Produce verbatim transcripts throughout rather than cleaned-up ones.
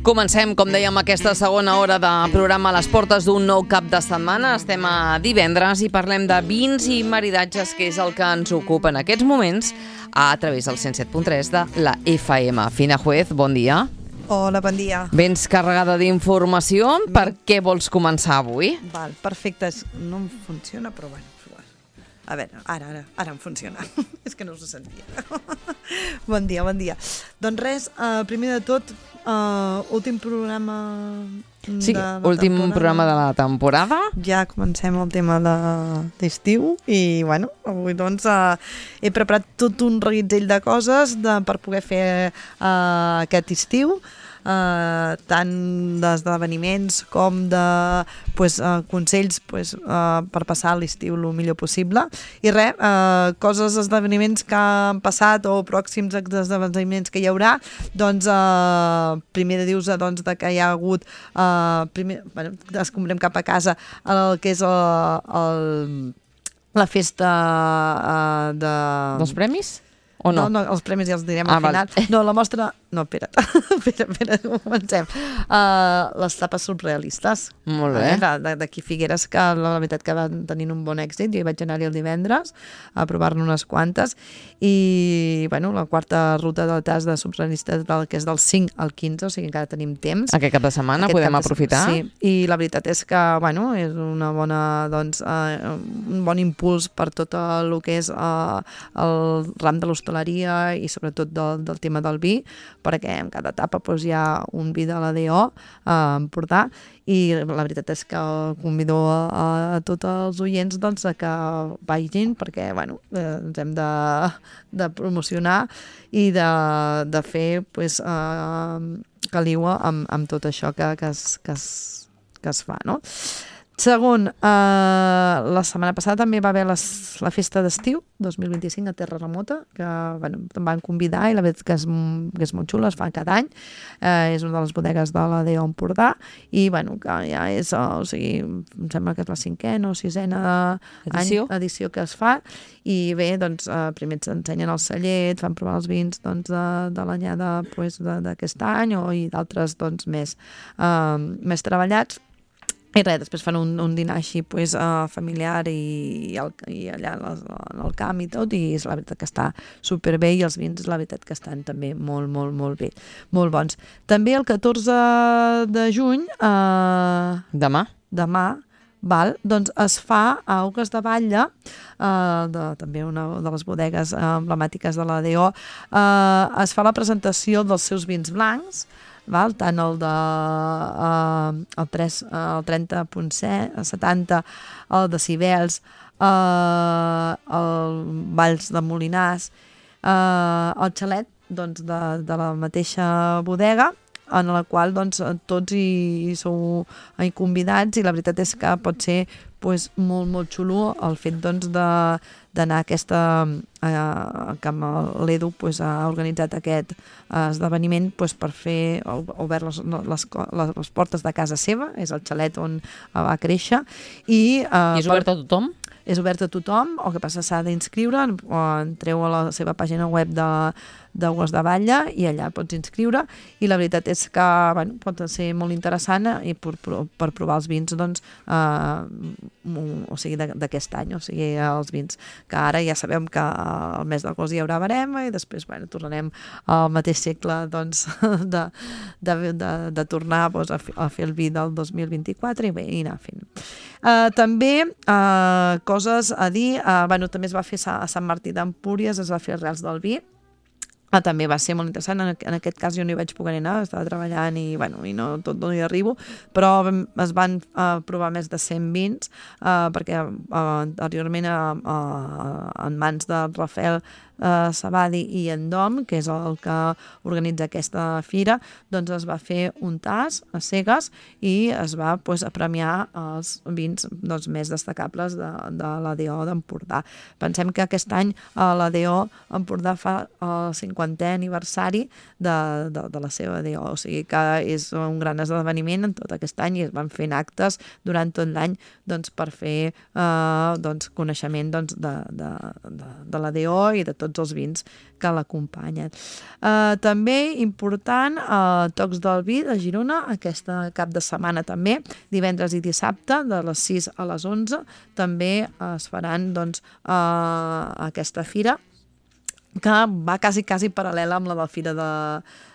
Comencem, com dèiem, aquesta segona hora de programa a les portes d'un nou cap de setmana. Estem a divendres i parlem de vins i maridatges, que és el que ens ocupa en aquests moments a través del cent set punt tres de la F M. Fina Juez, bon dia. Hola, bon dia. Vens carregada d'informació. Per què vols començar avui? Val, perfecte. No em funciona, però bueno. A veure, ara, ara, ara em funciona. És que no us ho sentia. Bon dia, bon dia. Doncs res, uh, primer de tot, uh, últim programa Sí, de la últim temporada. programa de la temporada. Ja comencem el tema d'estiu i, bueno, avui doncs uh, he preparat tot un reguitzell de coses de, per poder fer uh, aquest estiu. Uh, tant d'esdeveniments com de pues, uh, consells pues, uh, per passar l'estiu el millor possible i res, uh, coses, esdeveniments que han passat o pròxims esdeveniments que hi haurà, doncs uh, primer de dir-vos doncs, de que hi ha hagut uh, primer, bueno, descombrem cap a casa el que és el, el, la festa uh, de... Dels premis? O no? No, no, els premis ja els direm ah, al final. Val. No, la mostra... No, espera't. espera, espera, comencem. Uh, les tapes surrealistes. Molt bé. Eh? D'aquí Figueres, que la veritat que van tenint un bon èxit. Jo hi vaig anar-hi el divendres a provar-ne unes quantes. I, bueno, la quarta ruta del tas de surrealistes del que és del cinc al quinze, o sigui, encara tenim temps. Aquest cap de setmana Aquest podem cap de... aprofitar. Sí, i la veritat és que, bueno, és una bona, doncs, uh, un bon impuls per tot el que és uh, el ram de l'hostaleria i sobretot del, del tema del vi, perquè en cada etapa doncs, hi ha un vi de l'A D O a Empordà i la veritat és que convido a, a tots els oients doncs, a que vagin perquè bueno, eh, ens hem de, de promocionar i de, de fer pues, eh, caliua amb, amb tot això que, que, es, que, es, que es fa, no? Segon, eh, la setmana passada també va haver les, la festa d'estiu dos mil vint-i-cinc a Terra Remota, que bueno, em van convidar i la veritat que és, que és molt xula, es fa cada any, eh, és una de les bodegues de l'A D O Empordà i bueno, que ja és, o sigui, em sembla que és la cinquena o sisena edició, any, edició que es fa i bé, doncs eh, primer ens ensenyen el celler, et fan provar els vins doncs, de, de l'anyada pues, d'aquest any o i d'altres doncs, més, eh, més treballats. I res, després fan un, un dinar així pues, uh, familiar i, i, el, i allà en el camp i tot, i és la veritat que està superbé i els vins la veritat que estan també molt, molt, molt bé, molt bons. També el catorze de juny... Uh, demà? Demà, val, doncs es fa a Augues de Batlle, uh, de, també una de les bodegues uh, emblemàtiques de l'A D O, uh, es fa la presentació dels seus vins blancs, val? Tant el de uh, el, tres, uh, el trenta punt setanta, el de Cibels, uh, el Valls de Molinars, uh, el xalet doncs, de, de la mateixa bodega, en la qual doncs, tots hi, hi sou hi convidats i la veritat és que pot ser pues, molt, molt xulo el fet doncs, de d'anar a aquesta eh, que l'Edu pues, ha organitzat aquest eh, esdeveniment pues, per fer, ha obert les, les, les, les portes de casa seva, és el xalet on va créixer i, eh, I és obert a tothom? És obert a tothom, el que passa s'ha d'inscriure, entreu a la seva pàgina web de d'Augues de Batlle i allà pots inscriure i la veritat és que bueno, pot ser molt interessant i per, per provar els vins doncs, eh, o sigui, d'aquest any, o sigui, els vins que ara ja sabem que al mes d'agost hi haurà barema i després bueno, tornarem al mateix segle doncs, de, de, de, de tornar doncs, a, fer, a fer el vi del dos mil vint-i-quatre i bé, i anar fent. Uh, també uh, coses a dir, uh, bueno, també es va fer a Sant Martí d'Empúries, es va fer Reals del Vi. Ah, també va ser molt interessant, en aquest cas jo no hi vaig poder anar, estava treballant i, bueno, i no, tot no hi arribo, però es van uh, provar més de cent vins, uh, perquè uh, anteriorment uh, uh, en mans de Rafael uh, Sabadi i en Dom, que és el que organitza aquesta fira, doncs es va fer un tas a cegues i es va pues, premiar els vins doncs, més destacables de, de l'A D O d'Empordà. Pensem que aquest any uh, l'A D O Empordà fa el cinquantè aniversari de, de, de la seva A D O, o sigui que és un gran esdeveniment en tot aquest any i es van fent actes durant tot l'any doncs, per fer eh, doncs, coneixement doncs, de, de, de, de l'A D O i de tots els vins que l'acompanyen. Uh, també important, uh, Tocs del Vi de Girona, aquesta cap de setmana també, divendres i dissabte, de les sis a les onze, també es faran doncs, uh, aquesta fira, que va quasi, quasi paral·lela amb la de la fira de,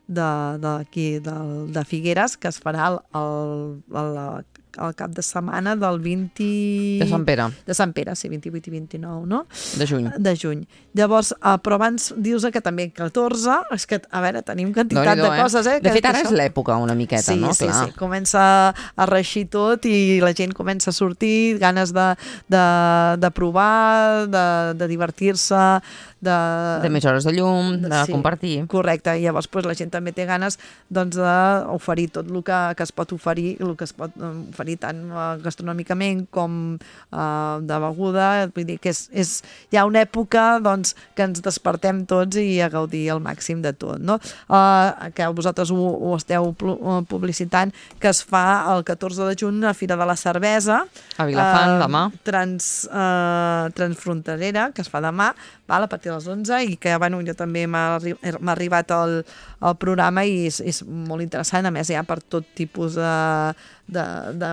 de, de, aquí, de, de Figueres, que es farà el, el, el, el cap de setmana del vint... De Sant Pere. De Sant Pere, sí, vint-i-vuit i vint-i-nou, no? De juny. De juny. Llavors, uh, però abans dius que també catorze, és que, a veure, tenim quantitat de eh? coses, eh? De que, fet, ara que és l'època una miqueta, sí, no? Sí, Clar. sí, comença a reixir tot i la gent comença a sortir, ganes de, de, de provar, de, de divertir-se, de... De més hores de llum, de sí, compartir. Correcte, i llavors pues, la gent també té ganes doncs, d'oferir tot el que, que es pot oferir, el que es pot oferir tant uh, gastronòmicament com uh, de beguda, vull dir que és, és, hi ha una època doncs, que ens despertem tots i a gaudir al màxim de tot, no? Uh, que vosaltres ho, ho esteu publicitant, que es fa el catorze de juny a Fira de la Cervesa, a Vilafant, uh, demà. Trans, uh, transfronterera, que es fa demà, val, a partir de les onze, i que bueno, jo també m'ha arribat el, el programa i és, és molt interessant, a més hi ha per tot tipus de, de, de,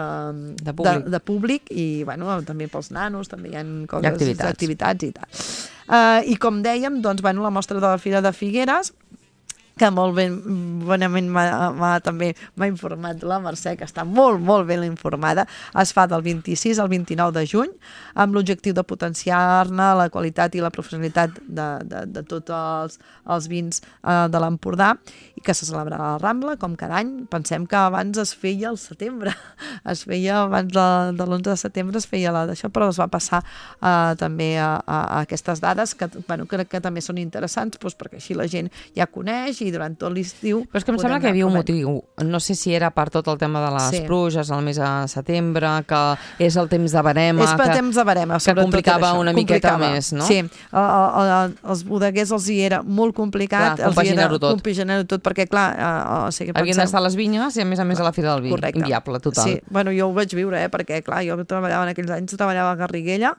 de, públic. de, de públic i bueno, també pels nanos també hi ha coses, activitats. activitats i tal. Uh, I com dèiem, doncs, bueno, la mostra de la Fira de Figueres, que molt ben, bonament m'ha també m'ha informat la Mercè, que està molt, molt ben informada. Es fa del vint-i-sis al vint-i-nou de juny, amb l'objectiu de potenciar-ne la qualitat i la professionalitat de, de, de tots els, els vins eh, de l'Empordà, i que se celebrarà a la Rambla, com cada any. Pensem que abans es feia al setembre, es feia abans de, de l'onze de setembre, es feia la d'això, però es va passar eh, també a, a, a aquestes dades, que, bueno, crec que també són interessants, doncs, perquè així la gent ja coneix i durant tot l'estiu... Però és que em sembla que hi havia un motiu. No sé si era per tot el tema de les sí. pluges, el mes de setembre, que és el temps de barema... És per que, temps de barema, que complicava una miqueta complicava. més, no? Sí, a, a, a, els bodeguers els hi era molt complicat. Clar, compaginar-ho tot. Compaginar-ho tot, perquè clar... A, a, o sigui, havien penseu... d'estar a les vinyes i a més a més a la Fira del Vi. Correcte. Inviable, total. Sí, bueno, jo ho vaig viure, eh, perquè clar, jo treballava en aquells anys, treballava a Garriguella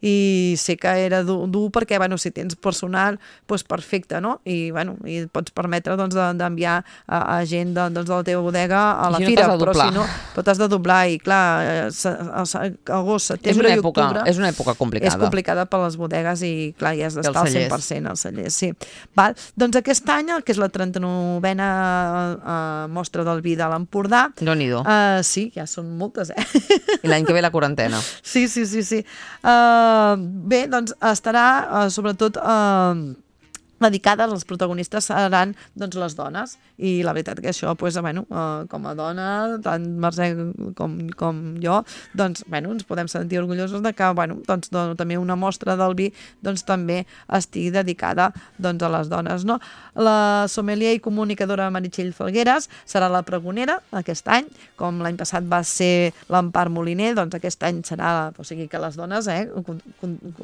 i sé que era dur, dur perquè, bueno, si tens personal, doncs perfecte, no? I, bueno, i et pots permetre, doncs, d'enviar a, a gent de, doncs, de la teva bodega a la si fira, no però si no, però t'has de doblar i clar, agost, setembre i octubre és una època complicada. És complicada per les bodegues i clar, hi has d'estar al cent per cent als cellers, sí. Val? Doncs aquest any, que és la trenta-novena uh, mostra del vi de l'Empordà, Déu-n'hi-do. Uh, sí, ja són moltes, eh? I l'any que ve la quarantena. Sí, sí, sí, sí. Uh, bé, doncs estarà uh, sobretot uh, dedicada, els protagonistes seran doncs, les dones, i la veritat que això, pues, bueno, uh, com a dona, tant Mercè com, com jo, doncs, bueno, ens podem sentir orgullosos de que, bueno, doncs, doncs, també una mostra del vi doncs, també estigui dedicada doncs, a les dones, no? La sommelier i comunicadora Meritxell Falgueres serà la pregonera aquest any, com l'any passat va ser l'Empar Moliner, doncs aquest any serà, o sigui que les dones, eh,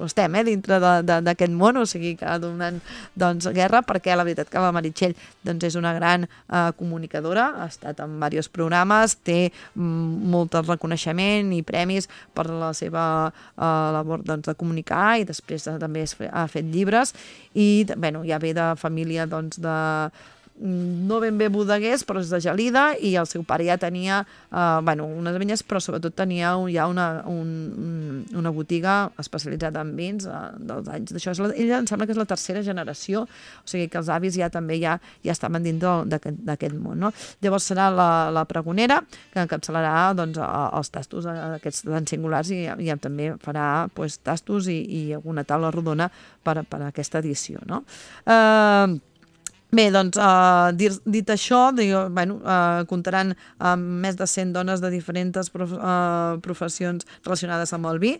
estem eh, dintre d'aquest món, o sigui que donant doncs, guerra, perquè la veritat que la Meritxell doncs, és una gran eh, comunicadora, ha estat en diversos programes, té mm, molt reconeixement i premis per la seva eh, labor doncs, de comunicar, i després eh, també ha fet llibres, i bueno, ja ve de família doncs, de no ben bé bodeguers, però és de Gelida, i el seu pare ja tenia eh, bueno, unes vinyes, però sobretot tenia ja una, un, una botiga especialitzada en vins eh, dels anys d'això. Ella em sembla que és la tercera generació, o sigui que els avis ja també ja, ja estaven dins d'aquest món. No? Llavors serà la, la pregonera, que encapçalarà doncs, els tastos aquests tan singulars, i, i també farà pues, tastos i, i alguna taula rodona per, per a aquesta edició. No? Eh, Bé, doncs, uh, dit, dit això, digo, bueno, uh, comptaran amb més de cent dones de diferents prof, uh, professions relacionades amb el vi,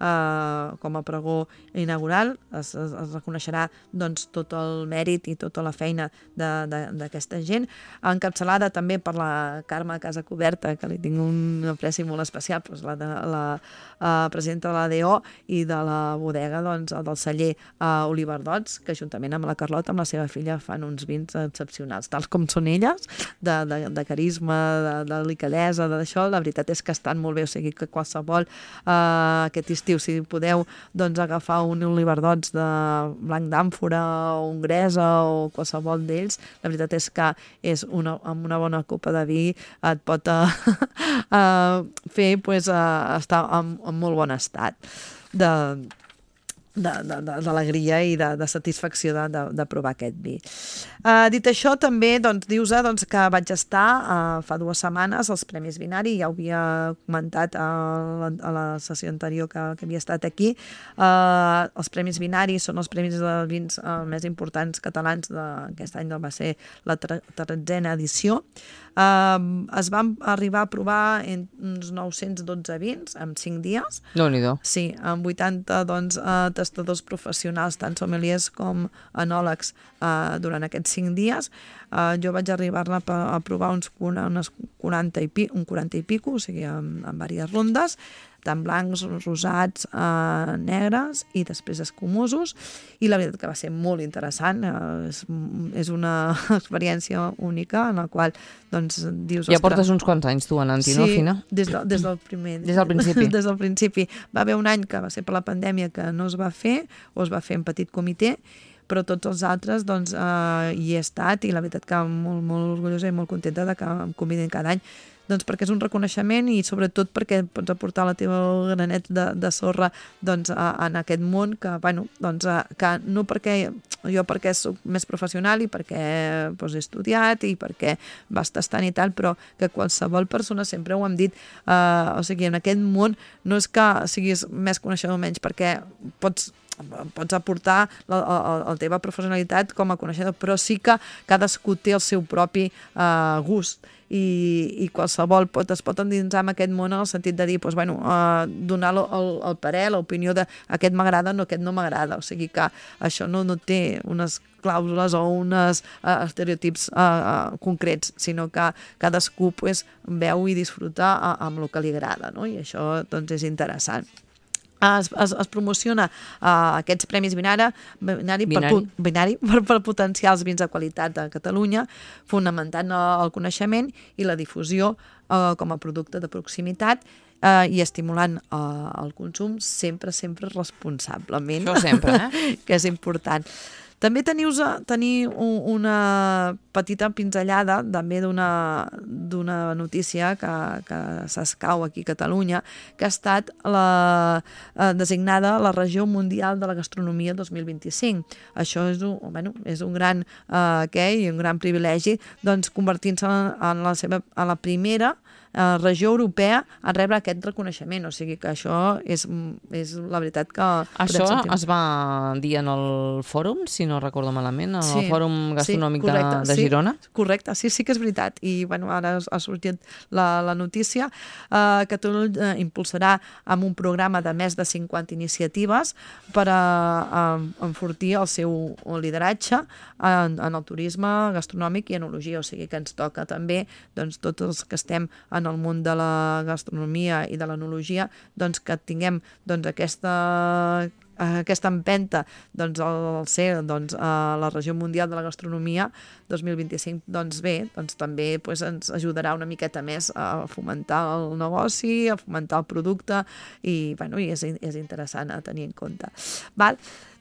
uh, com a pregó inaugural. Es, es, es reconeixerà doncs, tot el mèrit i tota la feina d'aquesta gent, encapçalada també per la Carme Casacoberta, que li tinc un apreci molt especial, doncs la, de, la uh, presidenta de l'A D O i de la bodega doncs, del celler uh, Oliver Dots, que juntament amb la Carlota, amb la seva filla, fan uns vins excepcionals, tals com són elles, de, de, de carisma, de, de delicadesa, d'això, la veritat és que estan molt bé, o sigui que qualsevol eh, aquest estiu, si podeu doncs, agafar un oliverdots de blanc d'àmfora o hongresa o qualsevol d'ells, la veritat és que és una, amb una bona copa de vi et pot uh, uh, fer pues, uh, estar en, en molt bon estat de d'alegria i de, de satisfacció de, de, de provar aquest vi. Uh, dit això, també doncs, dius doncs, que vaig estar uh, fa dues setmanes als Premis Vinari, ja ho havia comentat a la, a la sessió anterior que, que havia estat aquí. Uh, els Premis Vinari són els premis de vins uh, més importants catalans d'aquest any, va ser la tretzena edició. Uh, es van arribar a provar en uns nou-cents dotze vins en cinc dies. Déu-n'hi-do. Sí, amb vuitanta doncs, uh, tastadors professionals, tant sommeliers com enòlegs, uh, durant aquests cinc dies. Uh, jo vaig arribar-ne a, a provar uns, unes quaranta i pi, un quaranta i pico, o sigui, en, en diverses rondes, tant blancs, rosats, eh, negres i després escumosos, i la veritat que va ser molt interessant, eh, és, és una experiència única en la qual doncs dius... Ja portes uns quants anys tu anant-hi, sí, no, Fina? Des, de, des del primer... Des del principi. Des del principi. Va haver un any que va ser per la pandèmia que no es va fer, o es va fer en petit comitè, però tots els altres doncs, eh, hi he estat, i la veritat que molt, molt orgullosa i molt contenta de que em convidin cada any, doncs perquè és un reconeixement i sobretot perquè pots aportar la teva granet de, de sorra doncs, a, en aquest món que, bueno, doncs, a, que no perquè jo perquè soc més professional i perquè doncs, he estudiat i perquè vas tastant i tal, però que qualsevol persona, sempre ho hem dit, eh, o sigui, en aquest món no és que siguis més coneixedor o menys, perquè pots pots aportar la, la, la teva professionalitat com a coneixedor, però sí que cadascú té el seu propi uh, gust i, i qualsevol pot, es pot endinsar en aquest món en el sentit de dir, doncs, bueno, uh, donar el, el parer, l'opinió de aquest m'agrada, no, aquest no m'agrada, o sigui que això no, no té unes clàusules o uns uh, estereotips uh, uh, concrets, sinó que cadascú pues, veu i disfruta uh, amb el que li agrada, no? I això doncs, és interessant. Es, es, es promociona uh, aquests Premis Vinara, Vinari, Vinari. Per, Vinari per, per potenciar els vins de qualitat a Catalunya, fonamentant el coneixement i la difusió uh, com a producte de proximitat uh, i estimulant uh, el consum sempre, sempre responsablement. Això sempre, eh? Que és important. També tenius, tenir una petita pinzellada també d'una notícia que, que s'escau aquí a Catalunya, que ha estat la, eh, designada la regió mundial de la gastronomia dos mil vint-i-cinc. Això és un, bueno, és un gran eh, què, i un gran privilegi, doncs, convertint-se en, en, la seva, en la primera eh, regió europea a rebre aquest reconeixement. O sigui que això és, és la veritat que... Això es va dir en el fòrum, si no recordo malament, en sí, el Fòrum Gastronòmic sí, correcte, de, de Girona? Sí, correcte, sí, sí que és veritat. I bueno, ara ha sortit la, la notícia. Uh, Catalunya impulsarà amb un programa de més de cinquanta iniciatives per a, a enfortir el seu lideratge en, en el turisme gastronòmic i enologia. O sigui que ens toca també, doncs, tots els que estem en el món de la gastronomia i de l'enologia, doncs, que tinguem doncs, aquesta... aquesta empenta doncs, al ser doncs, a la regió mundial de la gastronomia dos mil vint-i-cinc, doncs bé, doncs, també pues, ens ajudarà una miqueta més a fomentar el negoci, a fomentar el producte i, bueno, i és, és interessant a tenir en compte. Val?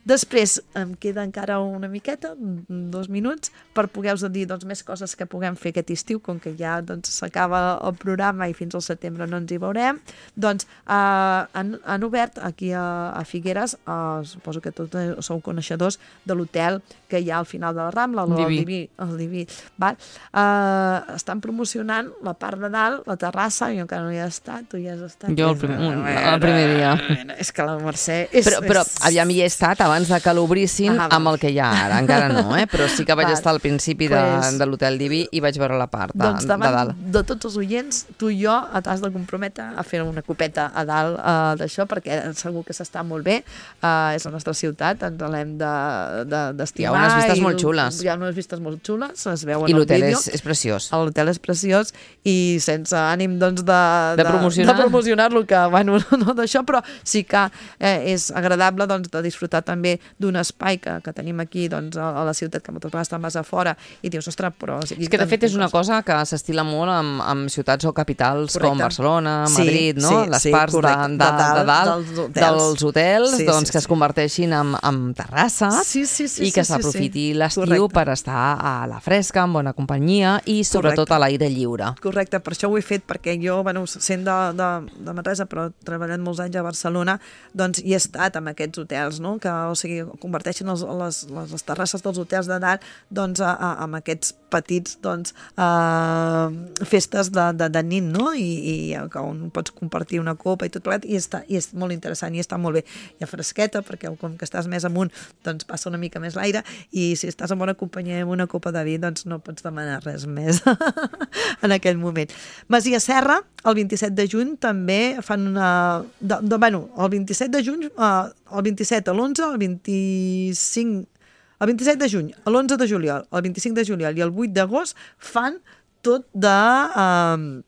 Després, em queda encara una miqueta, dos minuts, per poder-vos dir doncs, més coses que puguem fer aquest estiu, com que ja s'acaba doncs, el programa i fins al setembre no ens hi veurem. Doncs eh, han, han obert aquí a, a Figueres, eh, suposo que tots sou coneixedors de l'hotel que hi ha al final de la Rambla, el Diví. Diví, el Diví. Val? Eh, estan promocionant la part de dalt, la terrassa, jo encara no hi he estat, tu hi has estat. Jo el, prim, un, el primer dia. És que la Mercè... És, però, però és... aviam, hi he estat abans de que l'obrissin ah, amb el que hi ha ara, encara no, eh? Però sí que vaig val. estar al principi de, pues, de l'Hotel Diví i vaig veure la part de, doncs davant de dalt. De tots els oients, tu i jo t'has de comprometre a fer una copeta a dalt uh, d'això, perquè segur que s'està molt bé, uh, és la nostra ciutat, ens l'hem d'estimar. De, de, hi ha unes vistes molt xules. Hi ha unes vistes molt xules, es veuen I al l'hotel vídeo. és, és preciós. L'hotel és preciós i sense ànim doncs, de, de, de promocionar-lo, promocionar que, bueno, no d'això, però sí que eh, és agradable doncs, de disfrutar també també d'un espai que, que tenim aquí doncs, a, a la ciutat, que moltes vegades te'n vas a fora i dius, ostres, però... O sigui, és que de fet és una cosa que s'estila molt amb, amb ciutats o capitals correcte. Com Barcelona, Madrid, sí, no? Sí, Les sí, parts de, de, de, de dalt dels hotels, dels hotels sí, doncs, sí, que sí. es converteixin en, en terrasses sí, sí, sí, i que sí, s'aprofiti sí. l'estiu per estar a la fresca, en bona companyia i sobretot correcte. A l'aire lliure. Correcte, per això ho he fet, perquè jo, bueno, sent de, de, de Manresa, però treballant molts anys a Barcelona, doncs hi he estat amb aquests hotels, no? Que, o sigui, converteixen els, les, les, les terrasses dels hotels de dalt doncs, a, a, amb aquests petits doncs, uh, festes de, de, de nit, no? I, i on pots compartir una copa i tot plegat, i, està, i és molt interessant i està molt bé. Hi ha fresqueta, perquè com que estàs més amunt, doncs passa una mica més l'aire, i si estàs en bona companyia amb una copa de vi, doncs no pots demanar res més en aquell moment. Masia Serra, el vint-i-set de juny, també fan una... De, de, bueno, el vint-i-set de juny, uh, el vint-i-set, l'onze, el vint-i-cinc... El vint-i-set de juny, l'onze de juliol, el vint-i-cinc de juliol i el vuit d'agost fan tot de... Uh,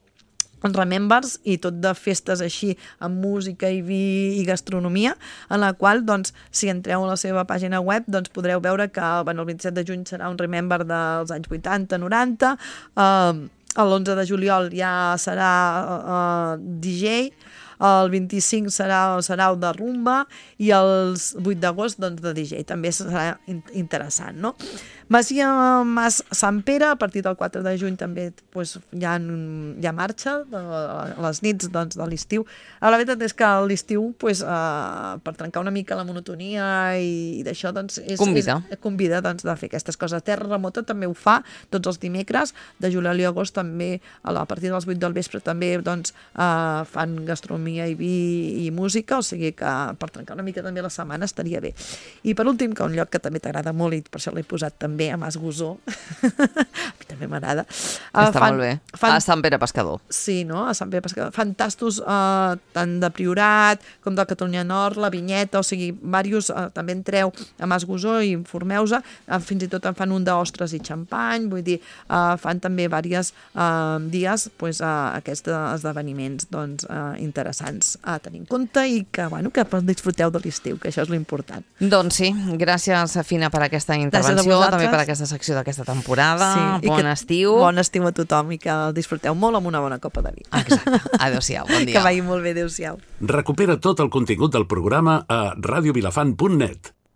remembers i tot de festes així amb música i vi i gastronomia, en la qual, doncs, si entreu a la seva pàgina web, doncs podreu veure que bueno, el vint-i-set de juny serà un remember dels anys vuitanta noranta, eh, l'onze de juliol ja serà eh, D J, el vint-i-cinc serà, serà de rumba i el vuit d'agost doncs, de D J. També serà interessant, no? Masia Mas Sant Pere, a partir del quatre de juny també doncs, hi, ha, hi ha marxa de, a les nits doncs, de l'estiu. La veritat és que a l'estiu, doncs, eh, per trencar una mica la monotonia i, i d'això, doncs, és, convida, és, convida doncs, de fer aquestes coses. Terra Remota també ho fa tots els dimecres, de juliol i agost també, a, la, a partir dels vuit del vespre també doncs, eh, fan gastronomia i vi i música, o sigui que per trencar una mica també la setmana estaria bé. I per últim, que un lloc que també t'agrada molt i per això l'he posat també a Mas Gosó, a mi també m'agrada. Està fan, molt bé. Fan, a Sant Pere Pescador. Sí, no? A Sant Pere Pescador. Fan tastos eh, tant de Priorat com de Catalunya Nord, la Vinyeta, o sigui, diversos, eh, també entreu a Mas Gosó i informeu-se, eh, fins i tot en fan un d'ostres i xampany, vull dir, eh, fan també diversos eh, dies pues, eh, aquests esdeveniments doncs, eh, interessants a tenir en compte i que, bueno, que disfruteu de l'estiu, que això és l'important. Doncs sí, gràcies, Fina, per aquesta intervenció, també per aquesta secció d'aquesta temporada. Sí, bon estiu. Bon estiu a tothom i que el disfruteu molt amb una bona copa de vi. Exacte. Adéu-siau, bon dia. Que vagi molt bé, adéu-siau. Recupera tot el contingut del programa a radio vilafant punt net.